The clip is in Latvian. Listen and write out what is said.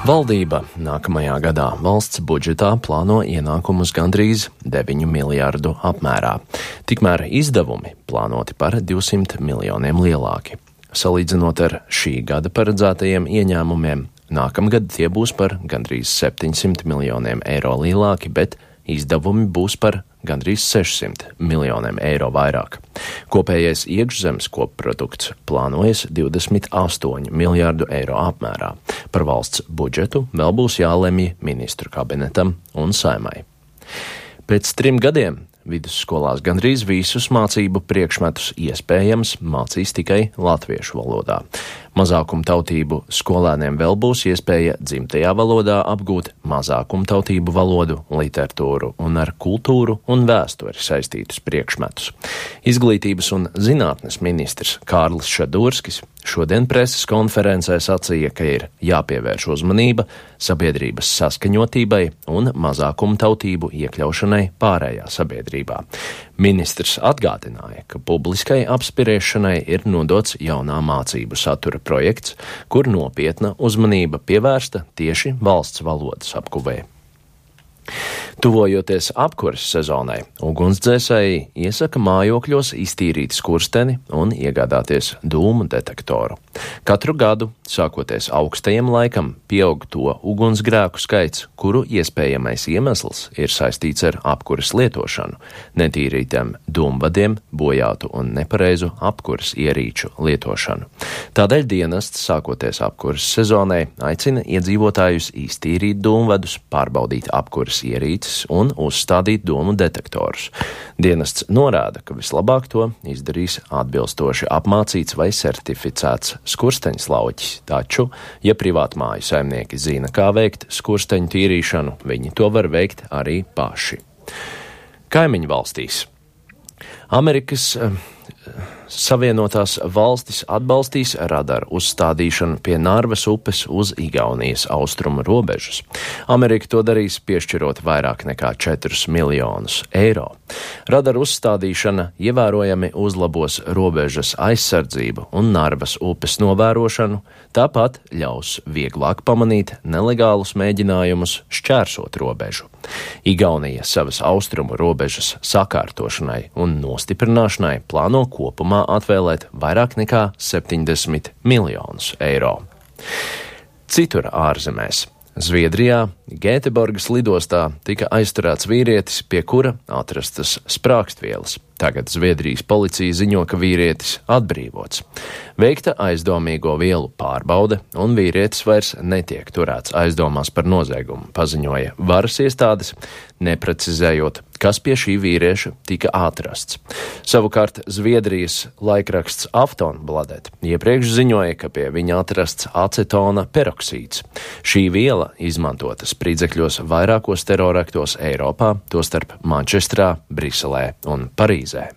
Valdība nākamajā gadā valsts budžetā plāno ienākumus gandrīz 9 miljārdu apmērā. Tikmēr izdevumi plānoti par 200 miljoniem lielāki. Salīdzinot ar šī gada paredzētajiem ieņēmumiem, nākamgad tie būs par gandrīz 700 miljoniem eiro lielāki, bet izdevumi būs par gandrīz 600 miljoniem eiro vairāk. Kopējais iekšzemes kopprodukts plānojas 28 miljārdu eiro apmērā. Par valsts budžetu vēl būs jālemj ministru kabinetam un Saeimai. Pēc 3 gadiem vidusskolās gandrīz visus mācību priekšmetus iespējams mācīs tikai latviešu valodā. Mazākumtautību skolēniem vēl būs iespēja dzimtajā valodā apgūt mazākumtautību valodu, literatūru un ar kultūru un vēsturi saistītus priekšmetus. Izglītības un zinātnes ministrs Kārlis Šadurskis šodien preses konferencē sacīja, ka ir jāpievērš uzmanība sabiedrības saskaņotībai un mazākumtautību iekļaušanai pārējā sabiedrībā. Ministrs atgādināja, ka publiskai apspriešanai ir nodots jaunā mācību satura projekts, kur nopietna uzmanība pievērsta tieši valsts valodas apguvē. Tuvojoties apkures sezonai, ugunsdzēsēji iesaka mājokļos iztīrīt skursteni un iegādāties dūmu detektoru. Katru gadu, sākoties augstajam laikam, pieaug to ugunsgrēku skaits, kuru iespējamais iemesls ir saistīts ar apkures lietošanu, netīrītiem dūmvadiem, bojātu un nepareizu apkures ierīču lietošanu. Tādēļ dienests, sākoties apkures sezonai, aicina iedzīvotājus iztīrīt dūmvadus, pārbaudīt apkures ierīces un uzstādīt dūmu detektorus. Dienests norāda, ka vislabāk to izdarīs atbilstoši apmācīts vai certificēts skursteņslauķis, taču, ja privātmāju saimnieki zina, kā veikt skursteņu tīrīšanu, viņi to var veikt arī paši. Kaimiņu valstīs. Amerikas Savienotās valstis atbalstīs radaru uzstādīšanu pie Narvas upes uz Igaunijas austrumu robežas. Amerika to darīs, piešķirot vairāk nekā 4 miljonus eiro. Radaru uzstādīšana ievērojami uzlabos robežas aizsardzību un Narvas upes novērošanu, tāpat ļaus vieglāk pamanīt nelegālus mēģinājumus šķērsot robežu. Igaunija savas austrumu robežas sakārtošanai un nostiprināšanai plāno kopumā atvēlēt vairāk nekā 70 miljonus eiro. Citur ārzemēs. Zviedrijā, Gēteborgas lidostā tika aizturēts vīrietis, pie kura atrastas sprākstvielas. Tagad Zviedrijas policija ziņo, ka vīrietis atbrīvots. Veikta aizdomīgo vielu pārbaude, un vīrietis vairs netiek turēts aizdomās par noziegumu, paziņoja varas iestādes, neprecizējot, kas pie šī vīrieša tika atrasts. Savukārt Zviedrijas laikraksts Aftonbladet iepriekš ziņoja, ka pie viņa atrasts acetona peroksīds. Šī viela izmantota spridzekļos vairākos teroraktos Eiropā, tostarp Mančestrā, Briselē un Parīzē.